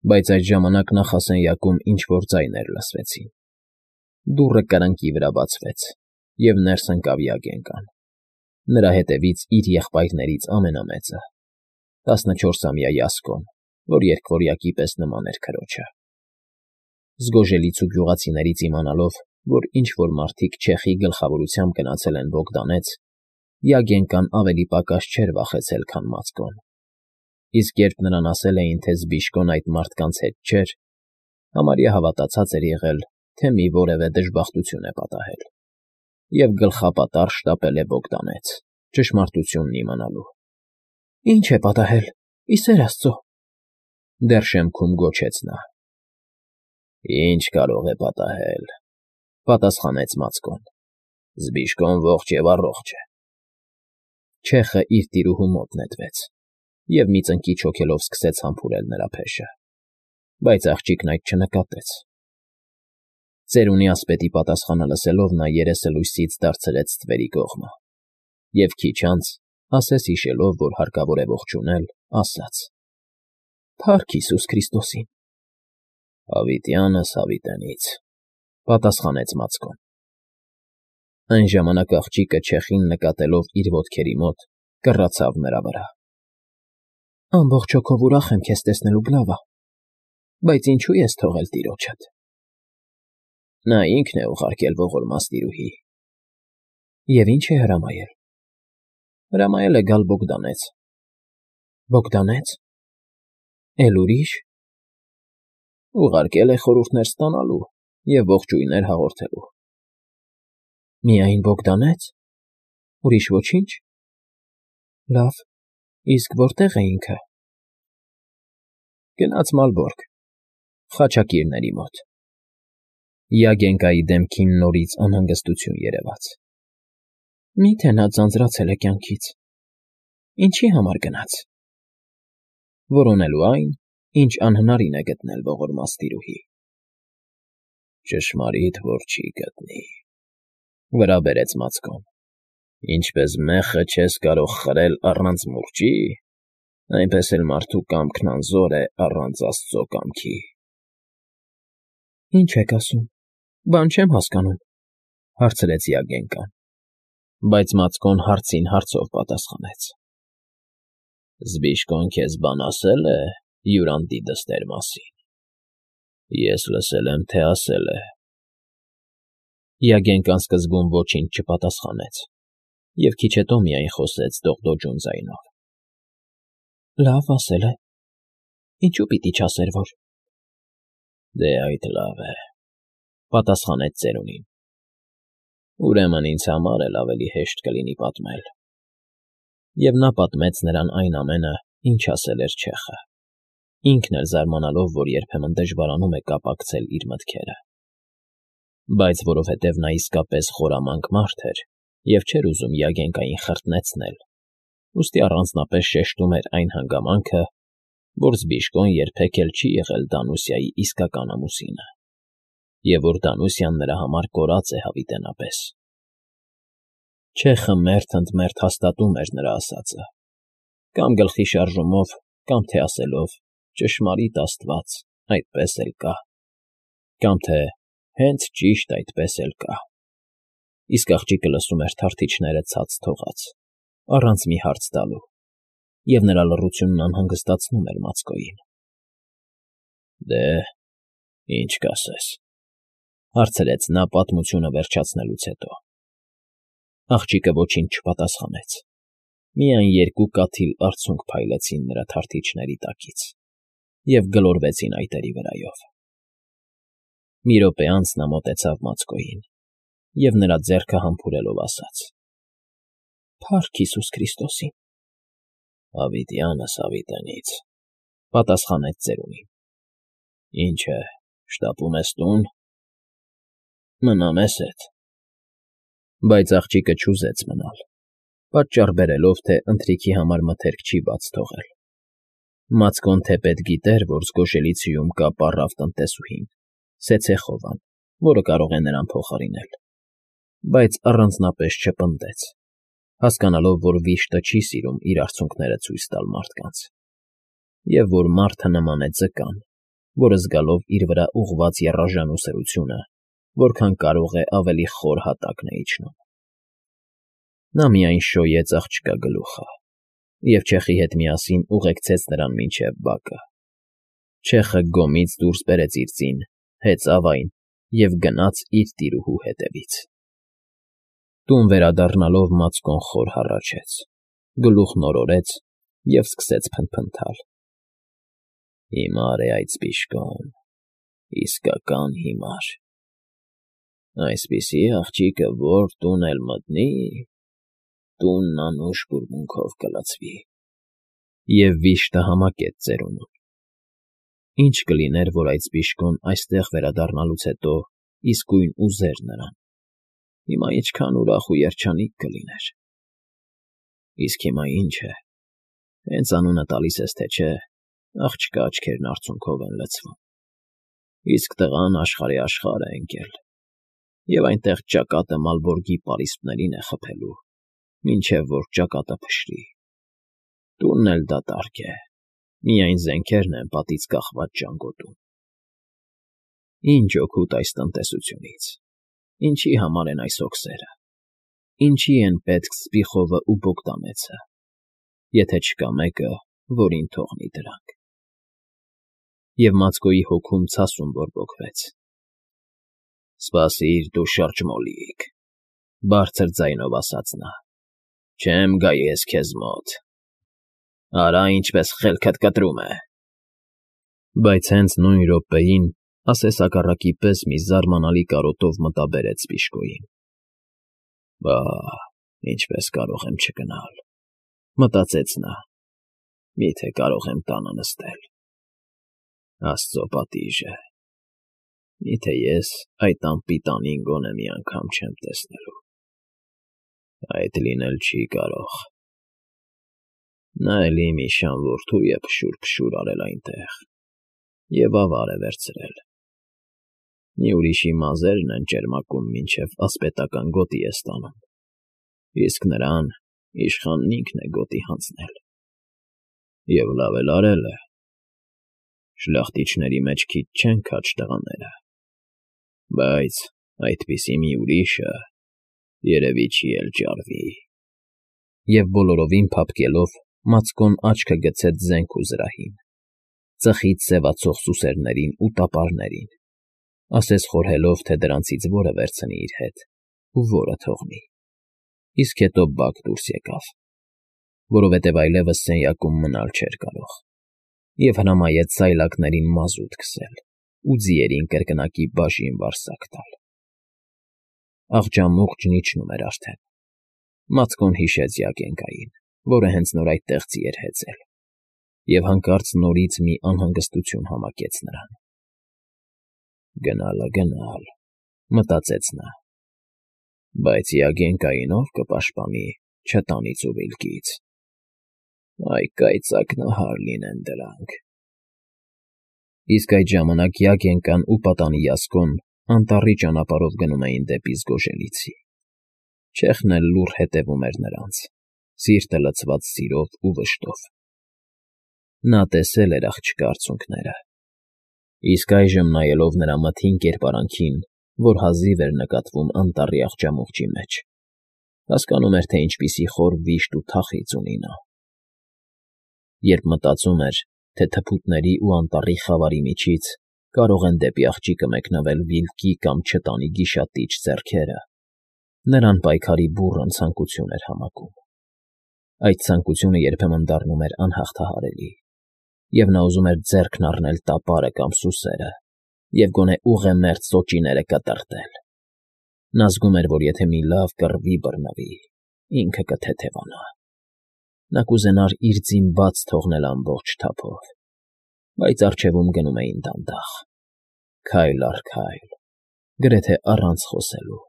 Բայց այդ ժամանակ նախասենյակում ինչ-որ ձայներ լսվեցին։ Դուռը կրկնակի վրա բացվեց, և ներս ընկավ Յագենկան։ Նրա հետևից իր եղբայրներից ամենամեծը, 14-ամյա Յասկոն, որ երկվորյակի պես նման էր քրոջը։ Զգոժելից ու գյուղացիներից իմանալով, որ ինչ֊որ մարդիկ չեխի գլխավորությամբ գնացել են Բոգդանեց, Յագենկան ավելի պակաս չէր վախեցել, քան Մացկոն։ Իսկ երբ նրան ասել էին, թե Զբիշկոն այդ մարդկանց հետ չէր, համարյա հավատացած էր եղել, թե մի որևէ դժբախտություն է պատահել, և գլխապատառ շտապել է Բոգդանեց, ճշմարտությունն իմանալու։ ֊ Ի՞նչ է պատահել, ի սեր աստծո,֊ դեռ շեմքում գոչեց նա։ ֊ Ի՞նչ կարող է պատահել,֊ պատասխանեց Մացկոն։ Զբիշկոն ողջ և առողջ է։ Չեխը իր տիրուհու մոտ նետվեց և մի ծնկիչ հոգելով սկսեց համբուրել նրա փեշը, բայց աղջիկն այդ չնկատեց։ Ծերունի ասպետի պատասխանը լսելով՝ նա երեսը լույսից դարձրեց ստվերի կողմը և քիչ անց, ասես հիշելով, որ հարկավոր է ողջունել, ասաց. «Փա՜ռք Հիսուս Քրիստոսին»։ «Հավիտյանս հավիտենից», պատասխանեց Մացկոն։ Այն ժամանակ աղջիկը չեխին նկատելով իր ոտքերի մոտ, կռացավ նրա վրա։ «Ամբողջ հոգով ուրախ եմ քեզ տեսնելու, Գլավա, բայց ինչո՞ւ ես թողել տիրոջդ»։ Նա ինքն է ուղարկել ողորմած տիրուհի։ Եվ ի՞նչ է հրամայել։ Հրամայել է գալ Բոգդանեց։ Բոգդանե՞ց։ Էլ ուրի՞շ։ Ուղարկել է խորհուրդներ ստանալու և ողջույններ հաղորդելու։ Միայն Բոգդանե՞ց։ Ուրիշ ոչի՞նչ։ Լավ, իսկ որտե՞ղ է ինքը։ Գնաց Մալբորգ, խաչակիրների մոտ։ Յագենկայի դեմքին նորից անհանգստություն երևաց։ Մի՞թե նա ձանձրացել է կյանքից։ Ինչի՞ համար գնաց։ Որոնելու այն, ինչ անհնարին է գտնել ողորմած տիրուհի։ Ճշմարիտ որ չի գտնի,֊ վրա բերեց Մացկոն։ Ինչպես մեղքը չես կարող խրել առանց մուրճի, այնպես էլ մարդու կամքն անզոր է առանց աստծո կամքի։ ֊ Ի՞նչ եք ասում, բան չեմ հասկանում,֊ հարցրեց Յագենկան։ Բայց Մացկոն հարցին հարցով պատասխանեց. Զբիշկոն քեզ բան ասել է հյուրանտի դստեր մասին։ Ես լսել եմ, թե ասել է։ Յագենկան սկզբում ոչինչ չպատասխանեց և քիչ հետո միայն խոսեց դողդոջուն ձայնով. Լավ, ասել է։ Ինչու պիտի չասեր, որ… Դե այդ լավ է,֊ պատասխանեց ծերունին։ Ուրեմն ինձ համար էլ ավելի հեշտ կլինի պատմել։ Եվ նա պատմեց նրան այն ամենը, ինչ ասել էր չեխը, ինքն էլ զարմանալով, որ երբեմն դժվարանում է կապակցել իր մտքերը։ Բայց որովհետև նա իսկապես խորամանկ մարդ էր և չէր ուզում Յագենկային խրտնեցնել, ուստի առանձնապես շեշտում էր այն հանգամանքը, որ Զբիշկոն երբեք էլ չի եղել Դանուսիայի իսկական ամուսինը, և որ Դանուսիան նրա համար կորած է հավիտենապես։ Չեխը մերթ ընդ մերթ հաստատում էր նրա ասածը, կամ գլխի շարժումով, կամ թե ասելով. «Ճշմարիտ Աստված, այդպես էլ կա», կամ թե «Հենց ճիշտ այդպես էլ կա»։ Իսկ աղջիկը լսում էր թարթիչները ցած թողած, առանց մի հարց տալու, և նրա լռությունն անհանգստացնում էր Մացկոյին։ Դե, ի՞նչ կասես,֊ հարցրեց նա պատմությունը վերջացնելուց հետո։ Աղջիկը ոչինչ չպատասխանեց, միայն երկու կաթիլ արցունք փայլեցին նրա թարթիչների տակից և գլորվեցին այտերի վրայով։ Մի րոպե անց նա մոտեցավ Մացկոյին և նրա ձեռքը համբուրելով ասաց. Փա՜ռք Հիսուս Քրիստոսին։ Հավիտյանս հավիտենից,֊ պատասխանեց ծերունին։ Ինչ է, շտապում ես տուն։ Մնա մեզ հետ։ Բայց աղջիկը չուզեց մնալ, պատճառ բերելով, թե ընթրիքի համար մթերք չի բաց թողել։ Մացկոն թեպետ գիտեր, որ զգոշելիցիում կա պառավ տնտեսուհին, Սեցեխովան, որը կարող է նրան փոխարինել, բայց առանձնապես չպնդեց, հասկանալով, որ վիշտը չի սիրում իր արցունքները ցույց տալ մարդկանց, և որ մարդը նման է ձկան, որը զգալով իր վրա ուղղված եռաժան ուսերությունը, որքան կարող է ավելի խոր հատակն է իջնում։ Նա միայն շոյեց աղջկա գլուխը և չեխի հետ միասին ուղեկցեց նրան մինչև բակը։ Չեխը գոմից դուրս բերեց իր ձին, հեծավ այն և գնաց իր տիրուհու հետևից։ Տուն վերադառնալով Մացկոն խոր հառաչեց, գլուխն օրորեց և սկսեց փնթփնթալ։ Հիմար է այդ սպիշկոն, իսկական հիմար։ Այսպիսի աղջիկը որ տուն էլ մտնի, տունն անուշ բուրմունքով կլցվի։ Եվ վիշտը համակեց ծերունուն։ Ինչ կլիներ, որ այդ սպիշկոն այստեղ վերադառնալուց հետո իսկույն ուզեր նրան, հիմա ինչքան ուրախ ու երջանիկ կլիներ։ Իսկ հիմա ինչ է, հենց անունը տալիս ես, թե չէ, աղջկա աչքերն արցունքով են լցվում։ Իսկ տղան աշխարհի աշխարհ է ընկել, և այնտեղ ճակատը Մալբորգի պարիսպներին է խփելու, մինչև որ ճակատը փշրի։ Տունն էլ դատարկ է, միայն զենքերն են պատից կախված ճանկոտում։ Ինչ օգուտ այս տնտեսությունից, ինչի համար են այս հոգսերը, ինչի են պետք Սպիխովը ու Բոգդանեցը, եթե չկա մեկը, որին թողնի դրանք։ Եվ Մացկոյի հոգում ցասում բորբոքվեց։ Սպասիր դու շրջմոլիկ, բարձր ձայնով ասաց նա, չեմ գա ես քեզ մոտ, արա ինչպես խելքդ կտրում է։ Բայց հենց նույն րոպեին ասեսակառակի պես մի զարմանալի կարոտով մտաբերեց Սպիշկոյին։ Բա, ինչպես կարող եմ չգնալ, մտածեց նա, միթե կարող եմ տանը նստել։ Աստծո պատիժը, միթե ես այդ անպիտանին գոնե մի անգամ չեմ տեսնելու։ Այդ լինել չի կարող։ Նա էլի մի շան որդու է փշուր արել այնտեղ և ավար է վերցրել։ Մի ուրիշի մազերն են ճերմակում, մինչև ասպետական գոտի է ստանում, իսկ նրան իշխանն ինքն է գոտի հանձնել։ Եվ լավ էլ արել է։ Շլախտիչների մեջ քիչ չեն քաջ տղաները, բայց այդպիսի մի ուրիշը երևի չի էլ ջարվի։ Եվ բոլորովին փափկելով Մացկոն աչքը գցեց զենք ու զրահին, ծխից սևացող սուսերներին ու տապարներին, ասես խորհելով, թե դրանցից որը վերցնի իր հետ ու որը թողնի։ Իսկ հետո բակ դուրս եկավ, որովհետև այլևս սենյակում մնալ չէր կարող, և հրամայեց սայլակներին մազութ քսել ու ձիերին կրկնակի բաժին վարսակ տալ։ Աղջամուղջն իջնում էր արդեն։ Մացկոն հիշեց Յագենկային, որը հենց նոր այդտեղ ձի էր հեծել, և հանկարծ նորից մի անհանգստություն համակեց նրան։ Գնալ, մտածեց նա, բայց Յագենկային ով կպաշտպանի չտանից ու վիլկից։ Այ կայծակնահար լինեն դրանք։ Իսկ այդ ժամանակ Յագենկան ու պատանի Յասկոն անտառի ճանապարհով գնում էին դեպի Զգոժելիցի։ Չեխն էլ լուռ հետևում էր նրանց, սիրտը լցված սիրով ու վշտով։ Նա տեսել էր աղջկա արցունքները, իսկ այժմ նայելով նրա մթին կերպարանքին, որ հազիվ էր նկատվում անտառի աղջամուղջի մեջ, հասկանում էր, թե ինչպիսի խոր վիշտ ու թախիծ ունի նա։ Երբ մտածում էր, թե թփուտների ու անտառի խավարի միջից կարող են դեպի աղջիկը մեկնվել վիլկի կամ չտանի գիշատիչ ձեռքերը, նրան պայքարի բուռն ցանկություն էր համակում։ Այդ ցանկությունը երբեմն դառնում էր անհաղթահարելի, և նա ուզում էր ձեռքն առնել տապարը կամ սուսերը և գոնե ուղեմերձ սոճիները կտրատել։ Նա զգում էր, որ եթե մի լավ կռվի բռնվի, ինքը կթեթևանա։ Նա կուզենար իր ձին բաց թողնել ամբողջ թափով, բայց առջևում գնում էին դանդաղ, քայլ առ քայլ, գրեթե առանց խոսելու։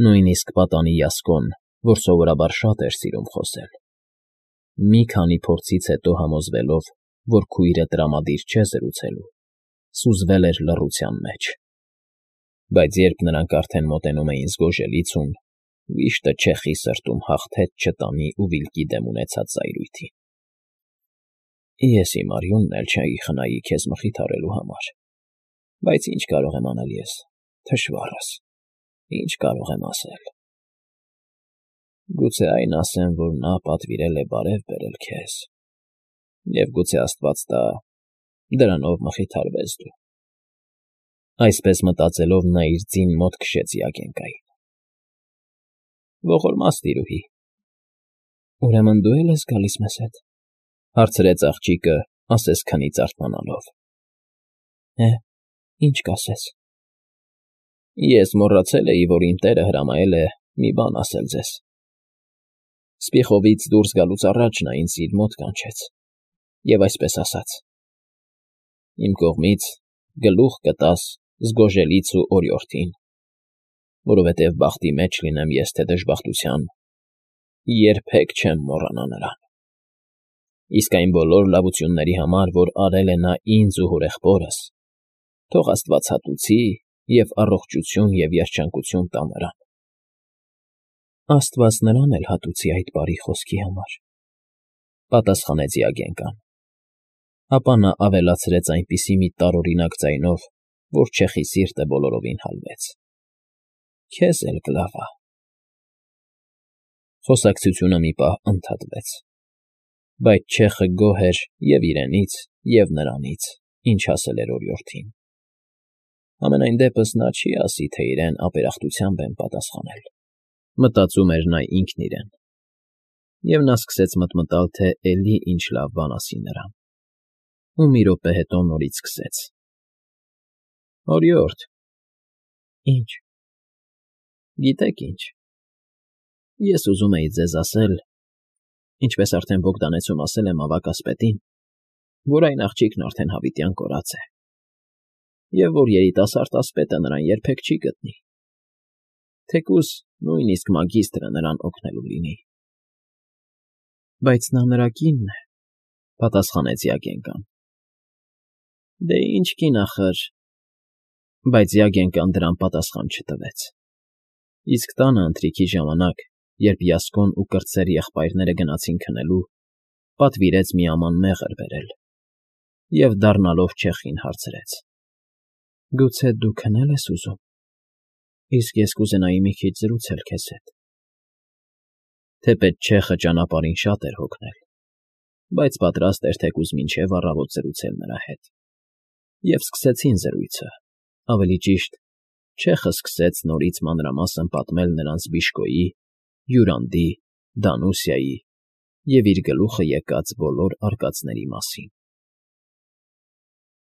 Նույնիսկ պատանի Յասկոն, որ սովորաբար շատ էր սիրում խոսել, մի քանի փորձից հետո համոզվելով, որ քույրը տրամադիր չէ զրուցելու, սուզվել էր լռության մեջ։ Բայց երբ նրանք արդեն մոտենում էին Զգոժելիցուն, վիշտը Չեխի սրտում հաղթեց չտանի ու վիլկի դեմ ունեցած զայրույթին։ Ես իմ արյունն էլ չէի խնայի քեզ մխիթարելու համար, բայց ինչ կարող եմ անել ես, թշվառս, ինչ կարող եմ ասել։ Գուցե այն ասեմ, որ նա պատվիրել է բարև բերել քեզ, և գուցե Աստված տա, դրանով մխիթարվես դու։ Այսպես մտածելով նա իր ձին մոտ քշեց Յագենկային։ Ողորմած տիրուհի։ Ուրեմն դու էլ ես գալիս մեզ հետ, հարցրեց աղջիկը, ասես քնից արթնանալով։ Ինչ կասես։ Ես մոռացել էի, որ իմ տերը հրամայել է մի բան ասել ձեզ։ Սպիխովից դուրս գալուց առաջ նա ինձ իր մոտ կանչեց, և այսպես ասաց. «Իմ կողմից գլուխ կտաս զգոժելից ու օրիորդին, որովհետև բախտի մեջ լինեմ ես թե դժբախտության, երբեք չեմ մոռանա նրան։ Իսկ այն բոլոր լավությունների համար, որ արել է նա ինձ ու հորեղբորս, թող Աստված հատուցի և առողջություն և երջանկություն տա նրան»։ Աստված նրան էլ հատուցի այդ բարի խոսքի համար, պատասխանեց Յագենկան։ Ապա նա ավելացրեց այնպիսի մի տարօրինակ ձայնով, որ չեխի սիրտը բոլորովին հալվեց. Քեզ էլ կլավա։ Խոսակցությունը մի պահ ընդհատվեց, բայց չեխը գոհ էր և իրենից, և նրանից, ինչ ասել էր օրիորդին։ Համենայն դեպս նա չի ասի, թե իրեն ապերախտությամբ են պատասխանել, մտածում էր նա ինքն իրեն, և նա սկսեց մտմտալ, թե էլի ինչ լավ բան ասի նրան, ու մի րոպե հետո նորից սկսեց. Օրիորդ։ Ինչ։ Գիտեք ինչ, ես ուզում էի ձեզ ասել, ինչպես արդեն Բոգդանեցում ասել եմ ավագ ասպետին, որ այն աղջիկն արդեն հավիտյան կորած է, և որ երիտասարդ ասպետը նրան երբեք չի գտնի, թեկուզ նույնիսկ մագիստրը նրան օգնելու լինի։ Բայց նա նրա կինն է, պատասխանեց Յագենկան։ Դե ինչ կին ախր։ Բայց Յագենկան դրան պատասխան չտվեց։ Իսկ տանը ընթրիքի ժամանակ, երբ Յասկոն ու կրտսեր եղբայրները գնացին քնելու, պատվիրեց մի աման մեղր բերել և, դառնալով չեխին, հարցրեց. Գուցե դու քնել ես ուզում, իսկ ես կուզենայի մի քիչ զրուցել քեզ հետ։ Թեպետ չեխը ճանապարհին շատ էր հոգնել, բայց պատրաստ էր թեկուզ մինչև առավոտ զրուցել նրա հետ, և սկսեցին զրույցը, ավելի ճիշտ, չեխը սկսեց նորից մանրամասն պատմել նրանց Բիշկոյի, Յուրանդի, Դանուսիայի և իր գլուխը եկած բոլոր արկածների մասին։